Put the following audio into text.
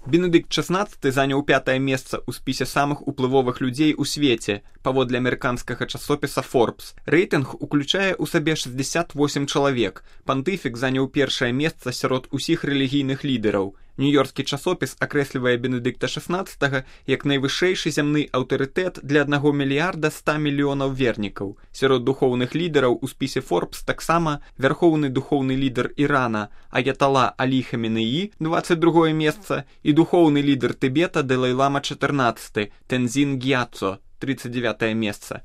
Бенедыкт XVI заняў 5-е месца ў спісе самых уплывовых людзей у свеце, паводле амерыканскага часопіса Forbes. Рэйтынг уключае ў сабе 68 чалавек. Пантыфік заняў 1-е месца сярод усіх рэлігійных лідараў. Нью-Йоркскі часопіс акрэслівае Бенедыкта XVI як найвышэйшы зямны аўтарытэт для 1 мільярда 100 мільёнаў вернікаў. Сярод духоўных лідараў у спісе Forbes таксама вярхоўны духоўны лідар Ірана Аятала Алі Хаменеі, 22-е месца, і духоўны лідар Тыбета Далай-лама XIV Тэнзін Гьяцо, 39-е месца.